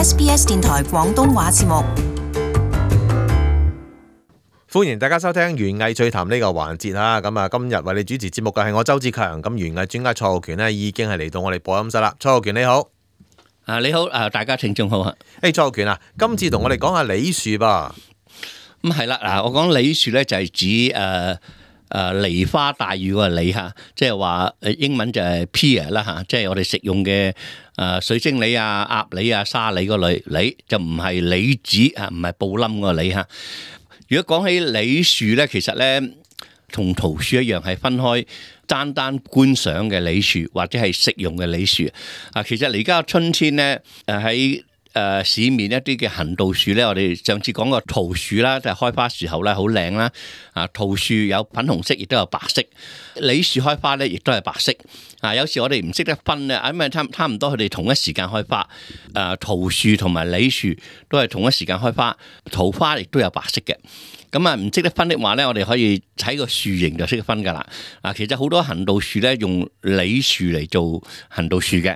SBS 電台廣東話節目。歡迎大家收聽園藝趣談呢個環節啦。咁啊，今日為你主持節目嘅係我周志強。咁園藝專家蔡浩權呢已經係嚟到我哋播音室啦。蔡浩權你好。你好，大家聽眾好啊。蔡浩權啊，今次同我哋講下梨樹噃。咁係啦，嗱，我講梨樹咧就係指梨花帶雨個梨吓，即係話英文就係 pear 啦吓，即係我哋食用嘅水晶梨啊、鴨梨啊、沙梨嗰類梨，就唔係梨子啊，唔係布冧個梨吓。如果講起梨樹咧，其實咧同桃樹一樣，係分開單觀賞嘅梨樹或者係食用嘅梨樹啊。其實而家春天咧，喺市面一啲嘅行道樹咧，我哋上次講過桃樹啦，就係開花時候咧好靚啦。啊，桃樹有粉紅色，亦都有白色。梨樹開花咧，亦都係白色。啊，有時我哋唔識得分咧，因為差唔多佢哋同一時間開花。桃樹同埋梨樹都係同一時間開花，桃花亦都有白色嘅。咁啊，唔識得分的話咧，我哋可以睇個樹形就識得分噶啦。啊，其實好多行道樹咧用梨樹嚟做行道樹嘅，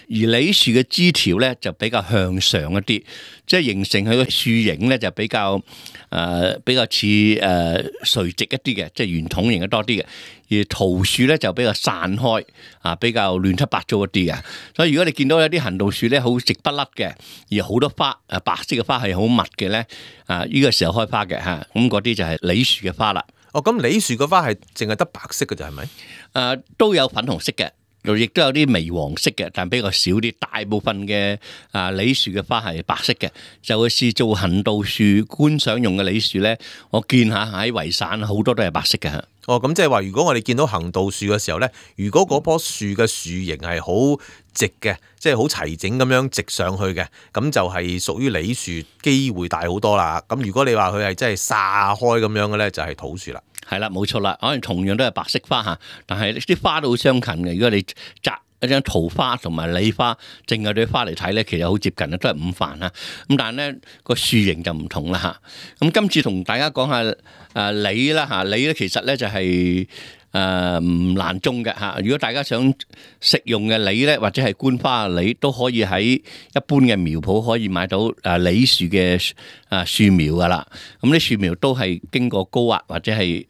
而梨樹嘅枝條咧就比較向上一啲，即係形成佢個樹形咧就比較似垂直一啲嘅，即係圓筒形嘅多啲嘅。而桃樹咧就比較散開，比較亂七八糟一啲嘅。所以如果你見到有啲行道樹咧好直不甩嘅，而好多花白色嘅花係好密嘅咧，呢個時候開花嘅嚇，咁嗰啲就係梨樹嘅花啦。哦，咁梨樹嘅花係淨係得白色嘅啫，係咪？都有粉紅色嘅。亦都有啲微黃色嘅，但比較少啲。大部分嘅梨樹嘅花係白色嘅，就會是做行道樹觀賞用嘅梨樹咧。我見下喺維省好多都係白色嘅。哦，咁即係話，如果我哋見到行道樹嘅時候咧，如果嗰棵樹嘅樹形係好直嘅，即係好齊整咁樣直上去嘅，咁就係屬於梨樹，機會大好多啦。咁如果你話佢係真係撒開咁樣嘅咧，就係桃樹啦。係啦，冇錯啦，可能同樣都係白色花嚇，但係啲花都好相近嘅。如果你摘一張桃花同埋梨花，淨係對花嚟睇咧，其實好接近啊，都係五瓣啊。咁但係咧個樹形就唔同啦嚇。咁今次同大家講下梨啦嚇，梨咧其實咧就係唔難種嘅嚇。如果大家想食用嘅梨咧，或者係觀花嘅梨，都可以喺一般嘅苗圃可以買到梨樹嘅樹苗噶啦。咁啲樹苗都係經過高壓或者係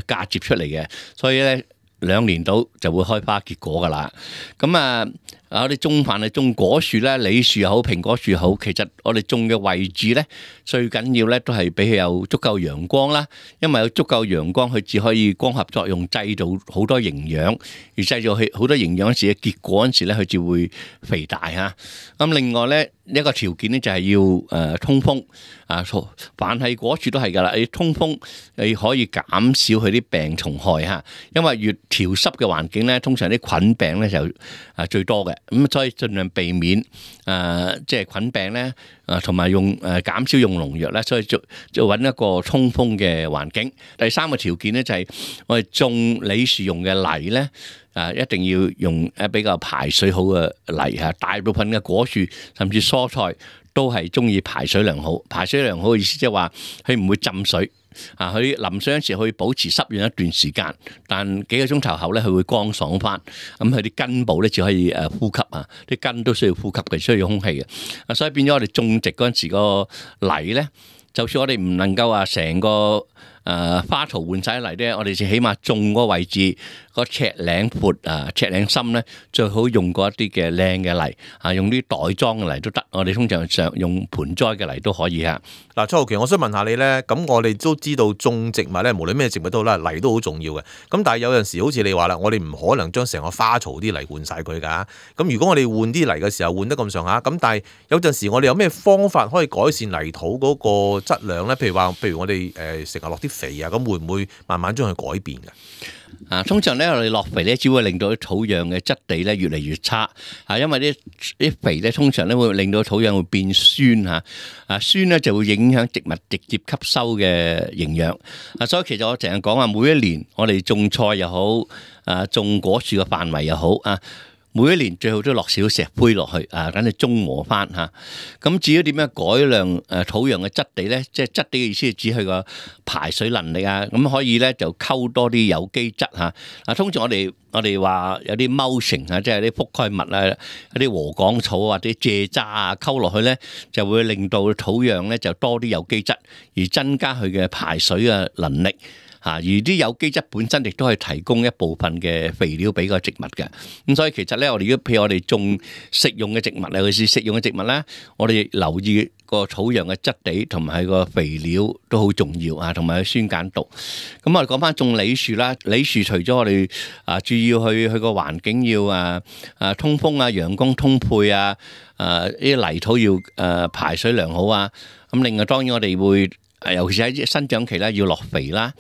嫁接出嚟嘅，所以咧2年到就會開花結果噶啦。咁我哋種凡係種果樹咧，梨樹又好，蘋果樹又好，其實我哋種嘅位置咧，最緊要咧都係俾佢有足夠陽光啦。因為有足夠陽光，佢只可以光合作用製造好多營養，而製造好多營養嗰時嘅結果嗰時咧，佢就會肥大嚇。咁另外咧一個條件咧就係要通風啊，凡係果樹都係噶啦，你通風你可以減少佢啲病蟲害嚇。因為越潮濕嘅環境咧，通常啲菌病咧就最多嘅。咁所以盡量避免即係菌病咧，同埋減少用農藥咧，所以就揾一個通風嘅環境。第三個條件咧就係我哋種梨樹用嘅泥咧，一定要用比較排水好嘅泥嚇。大部分嘅果樹甚至蔬菜都係中意排水良好。排水良好嘅意思即係話佢唔會浸水。佢淋水嗰陣時可以保持濕潤一段時間，但幾個鐘頭後咧，佢會乾爽翻。咁佢啲根部咧只可以呼吸啊，啲根都需要呼吸嘅，需要空氣嘅。所以變咗我哋種植嗰陣時個泥咧，就算我哋唔能夠話成個花槽換晒泥咧，我哋就起碼種嗰個位置個尺零闊尺零深咧，最好用過一啲嘅靚嘅泥用啲袋裝嘅泥都得。我哋通常用盆栽嘅泥都可以嚇。嗱，蔡浩權，我想問下你咧，咁我哋都知道種植物咧，無論咩植物都好啦，泥都好重要嘅。咁但係有陣時好似你話啦，我哋唔可能將成個花槽啲泥換晒佢㗎。咁如果我哋換啲泥嘅時候換得咁上下，咁但係有陣時我哋有咩方法可以改善泥土嗰個質量咧？譬如我哋成日落啲肥啊，咁會唔會慢慢將佢改變㗎？通常咧我哋落肥咧，只會令到啲土壤嘅質地咧越嚟越差。因為啲肥咧通常咧會令到土壤會變酸嚇。酸咧就會影響植物直接吸收嘅營養。所以其實我成日講話，每一年我哋種菜又好，種果樹嘅範圍又好每一年最好都落少石灰落去啊，等佢中和翻嚇。咁至於點樣改良土壤嘅質地咧？即係質地嘅意思係指佢個排水能力啊。咁可以咧就溝多啲有機質嚇。嗱，通常我哋話有啲mulching啊，即係啲覆蓋物啊，有啲禾稈草或者蔗渣啊，溝落去咧就會令到土壤咧就多啲有機質，而增加佢嘅排水嘅能力。而啲有機質本身亦都係提供一部分嘅肥料俾個植物嘅，咁所以其實咧，譬如我哋種食用嘅植物，尤其是食用嘅植物咧，我哋留意個土壤嘅質地同埋個肥料都好重要啊，同埋個酸鹼度。咁我哋講翻種梨樹啦，梨樹除咗我哋注要去個環境要通風啊、陽光通配啊、啲泥土要排水良好啊，咁另外當然我哋會尤其是喺生長期咧要落肥啦。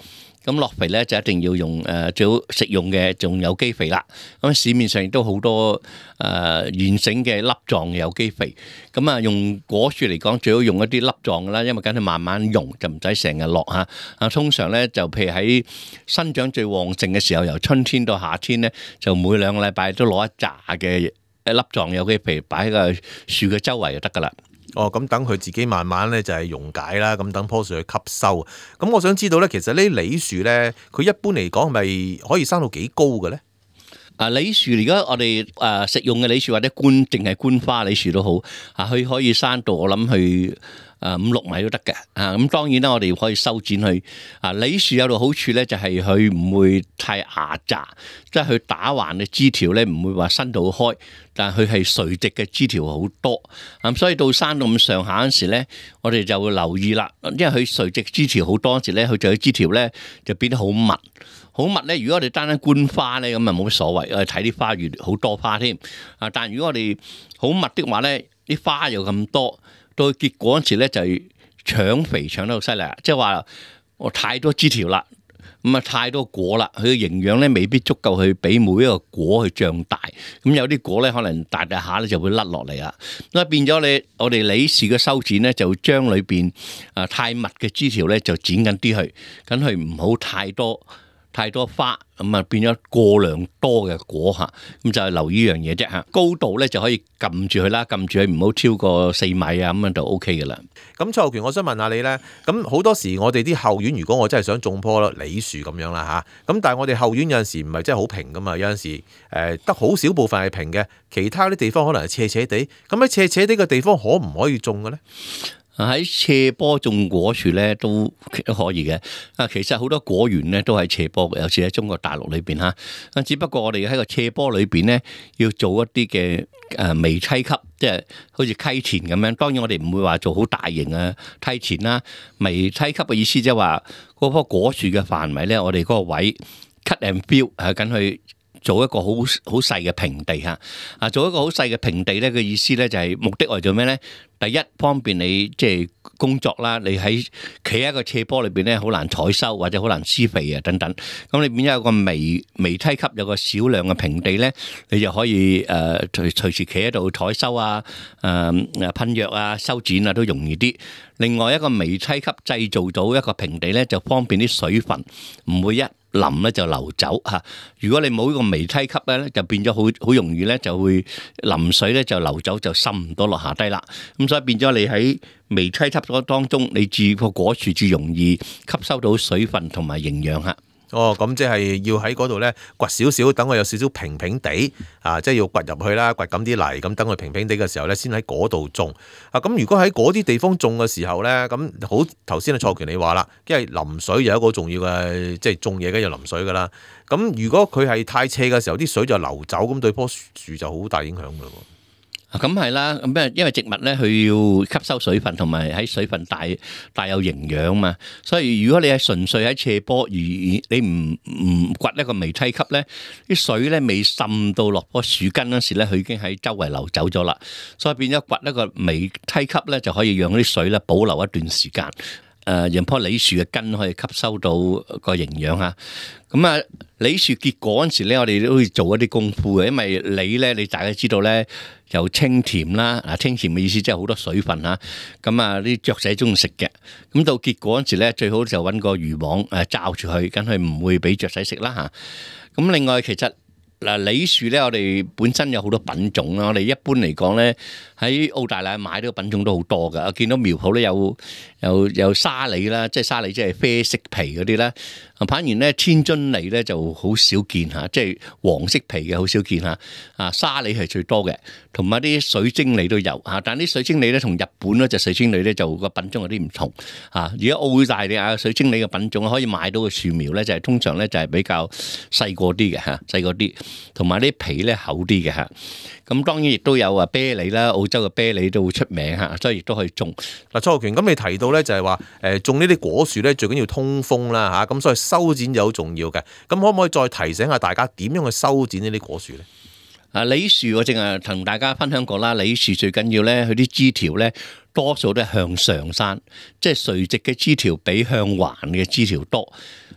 咁落肥咧就一定要用最好食用嘅仲有機肥啦。咁市面上亦都好多現成嘅粒狀嘅有機肥。咁啊用果樹嚟講，最好用一啲粒狀嘅啦，因為等佢慢慢溶，就唔使成日落嚇。通常咧就譬如喺生長最旺盛嘅時候，由春天到夏天咧，就每2個禮拜都攞一紮嘅粒狀有機肥擺喺個樹嘅周圍就得噶啦。咁等佢自己慢慢咧就係溶解啦，咁等棵樹去吸收。咁我想知道咧，其實呢啲梨樹咧，佢一般嚟講係咪可以生到幾高嘅咧？梨樹而家我哋食用嘅梨樹或者淨係觀花梨樹都好，佢可以生到我諗去5-6米都得嘅。咁當然啦，我哋可以修剪佢。梨樹有個好處咧，就係佢唔會太牙雜，即係佢打橫嘅枝條咧唔會話伸到開，但係佢係垂直嘅枝條好多。咁所以到生到咁上下嗰時咧，我哋就會留意啦，因為佢垂直枝條好多嗰時咧，佢就啲枝條咧就變得好密。好密咧，如果我哋單單觀花咧，咁啊冇乜所謂，我哋睇啲花園好多花添。但如果我哋好密的話咧，啲花又咁多，到結果嗰時咧就係搶肥搶得好犀利，即係話我太多枝條啦，咁啊太多果啦，佢嘅營養咧未必足夠去俾每一個果去長大。咁有啲果咧可能大下咧就會甩落嚟啦。咁變咗我哋梨樹嘅修剪咧，就將裏邊太密嘅枝條咧就剪緊啲去，咁佢唔好太多花，咁啊變咗過量多嘅果嚇，咁就係留意呢樣嘢啫嚇。高度咧就可以撳住佢啦，撳住佢唔好超過4米啊，咁樣就 O K 嘅啦。咁蔡浩權，我想問下你咧，咁好多時我哋啲後院，如果我真係想種棵梨樹咁樣啦嚇，咁但係我哋後院有陣時唔係真係好平噶嘛，有陣時得好少部分係平嘅，其他啲地方可能係斜斜地，咁喺斜斜地嘅地方可唔可以種嘅咧？喺斜坡種果樹咧都可以嘅。其實好多果園咧都係斜坡嘅，尤其喺中國大陸裏邊嚇。只不過我哋喺個斜坡裏邊咧要做一啲嘅微梯級，即係好似溪田咁樣。當然我哋唔會話做好大型嘅梯田啦。微梯級嘅意思即係話嗰棵果樹嘅範圍咧，我哋嗰個位 cut and fill 緊去做一個好細嘅平地嚇。做一個好細嘅平地咧嘅意思咧就係目的為做咩咧？第一，方便你即係工作啦，你喺企喺一個斜坡裏邊咧，好難採收或者好難施肥啊等等。咁你變咗有個微梯級，有個少量嘅平地咧，你就可以隨時企喺度採收啊、噴藥啊、修剪啊都容易啲。另外一個微梯級製造到一個平地咧，就方便啲水分唔會一淋咧就流走嚇。如果你冇呢個微梯級咧，就變咗好容易咧就會淋水咧就流走，就滲唔到落下低啦。咁所以變咗你喺微梯級當中，你住個果樹至容易吸收到水分同埋營養嚇。咁即係要喺嗰度咧掘少少，等佢有少少平平地即係要掘入去啦，掘咁啲泥，咁等佢平平地嘅時候咧，先喺嗰度種。咁如果喺嗰啲地方種嘅時候咧，咁好頭先蔡浩權你話啦，因為淋水有一個重要嘅，即係種嘢梗係要淋水噶啦。咁如果佢係太斜嘅時候，啲水就流走，咁對棵樹就好大影響噶喎。咁係啦，咁因為植物咧，佢要吸收水分，同埋喺水分大有營養嘛。所以如果你係純粹喺斜坡，而你唔掘一個微梯級咧，啲水咧未滲到落棵樹根嗰時咧，佢已經喺周圍流走咗啦。所以變咗掘一個微梯級咧，就可以讓啲水咧保留一段時間。讓棵梨樹嘅根可以吸收到個營養嚇。咁梨樹結果嗰陣時咧，我哋都會做一啲功夫嘅，因為梨咧，你大家知道咧，又清甜啦。清甜嘅意思即係好多水分嚇。咁啲雀仔中意食嘅。咁到結果嗰陣時咧，最好就揾個漁網罩住佢，咁佢唔會俾雀仔食啦嚇。咁另外其實嗱，李樹咧，我哋本身有好多品種啦。我哋一般嚟講咧，喺澳大利亞買到嘅品種都好多㗎。我見到苗圃咧有沙梨啦，即係沙梨即係啡色皮嗰啲啦。反而咧天津梨咧就好少見嚇，即係黃色皮嘅好少見嚇。沙梨係最多嘅，同埋啲水晶梨都有嚇。但係啲水晶梨咧同日本嗰隻水晶梨咧就個品種有啲唔同嚇。而家澳大利亞水晶梨嘅品種可以買到嘅樹苗咧，就係通常咧就係比較細個啲嘅嚇，細個啲。同埋啲皮咧厚啲嘅嚇，咁當然亦都有啤梨啦，澳洲嘅啤梨都好出名嚇，所以亦都可以種。嗱，蔡浩權，咁你提到咧就係話種呢啲果樹咧最緊要通風啦嚇，咁所以修剪就好重要嘅。咁可唔可以再提醒下大家點樣去修剪呢啲果樹咧？李樹我淨係同大家分享過啦，李樹最緊要咧，佢啲枝條咧多數都係向上生，即係垂直嘅枝條比向橫嘅枝條多。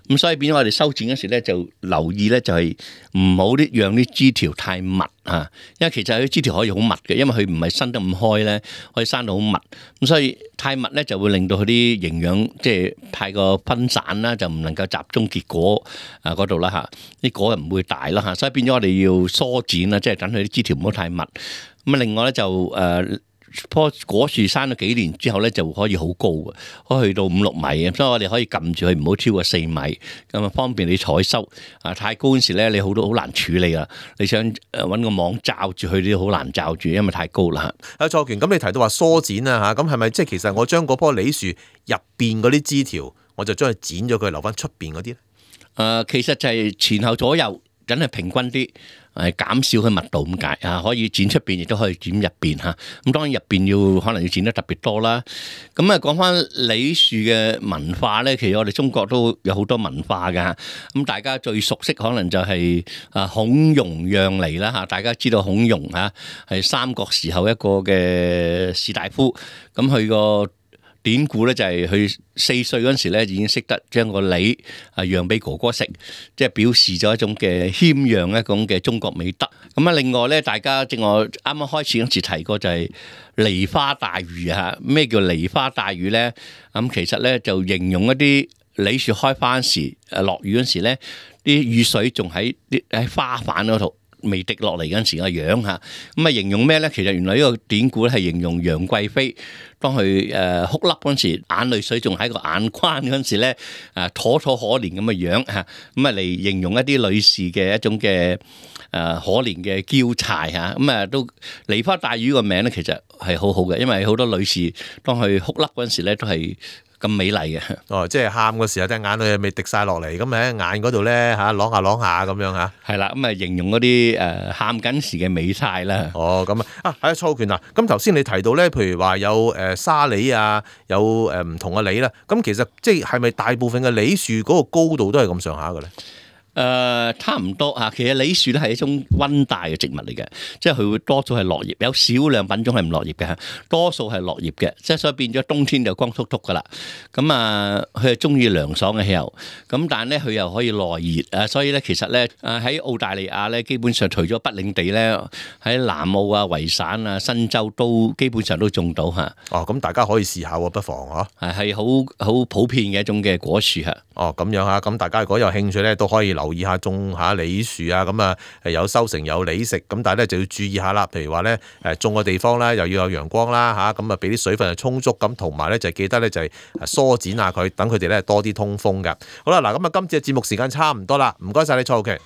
咁所以變咗我哋修剪嗰時咧，就留意咧，就係唔好讓啲枝條太密啊，因為其實啲枝條可以好密嘅，因為佢唔係伸得咁開咧，可以生到好密。咁所以太密咧就會令到佢啲營養即係太過分散啦，就唔能夠集中結果嗰度啦嚇，啲果又唔會大啦嚇。所以變咗我哋要疏剪啦，即係等佢啲枝條唔好太密。咁啊，另外咧就棵果樹生咗幾年之後咧，就可以好高嘅，可以去到5-6米，所以我哋可以撳住佢，唔好超過4米，咁啊方便你採收。太高嗰時咧，你好難處理啊！你想揾個網罩住佢都好難罩住，因為太高啦。蔡浩權，咁你提到話疏剪啊嚇，咁係咪即係其實我將嗰棵梨樹入邊嗰啲枝條，我就將佢剪咗佢，留翻出邊嗰啲咧？其實就係前後左右，梗係平均啲。減少佢密度咁解啊，可以剪出邊，亦都可以剪入邊嚇。咁當然入邊可能要剪得特別多啦。咁講翻梨樹嘅文化咧，其實我哋中國都有好多文化㗎。咁大家最熟悉可能就係孔融讓梨啦嚇。大家知道孔融嚇係三國時候一個嘅士大夫，咁佢個典故咧就係佢4歲嗰陣時咧已經識得將個梨讓俾哥哥食，即係表示咗一種嘅謙讓一種嘅中國美德。咁另外咧，大家正我啱啱開始嗰時提過就係梨花帶雨嚇。咩叫梨花帶雨咧？咁其實咧就形容一啲梨樹開花時落雨嗰時咧，啲雨水仲喺花瓣嗰度未滴落嚟嗰陣時個樣嚇。咁形容咩咧？其實原來呢個典故咧係形容楊貴妃。當佢哭泣嗰陣時，眼淚水仲喺個眼眶嗰陣時咧，妥妥可憐咁嘅樣嚇，咁嚟形容一啲女士嘅一種嘅可憐嘅嬌柴嚇，都梨花帶雨個名咧，其實係好好嘅，因為好多女士當佢哭泣嗰陣時咧，都係咁美麗嘅。哦，即係喊嗰時候，啲眼淚未滴晒落嚟，咁喺眼嗰度咧嚇，啷下啷下咁樣嚇。係啦，形容嗰啲喊緊時嘅美態啦。哦，咁係啊，蔡浩權啊，咁頭先你提到咧，譬如話有沙梨啊，有唔同嘅梨啦，咁其實即係咪大部分嘅梨樹嗰個高度都係咁上下嘅咧？差唔多嚇，其實梨樹咧係一種溫帶嘅植物嚟嘅，即係佢會多數係落葉，有少量品種係唔落葉嘅，多數係落葉嘅，即係所以變咗冬天就光禿禿噶啦。咁佢係中意涼爽嘅氣候，咁但係咧佢又可以耐熱啊，所以咧其實咧喺澳大利亞咧，基本上除咗北領地咧，喺南澳啊、維省啊、新州都基本上都種到嚇。哦，咁大家可以試下喎，不妨嚇。係好普遍嘅一種嘅果樹嚇。哦，咁樣嚇，咁大家如果有興趣咧，都可以留意下種下梨樹啊，咁有收成有梨食，咁但係咧就要注意下啦。譬如話咧種嘅地方咧又要有陽光啦嚇，咁俾啲水分係充足，咁同埋咧就記得咧就係疏剪下佢，等佢哋咧多啲通風嘅。好啦，嗱咁今次嘅節目時間差唔多啦，唔該晒你蔡浩權。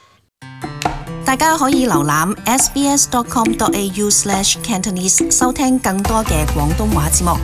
大家可以瀏覽 sbs.com.au/cantonese 收聽更多嘅廣東話節目。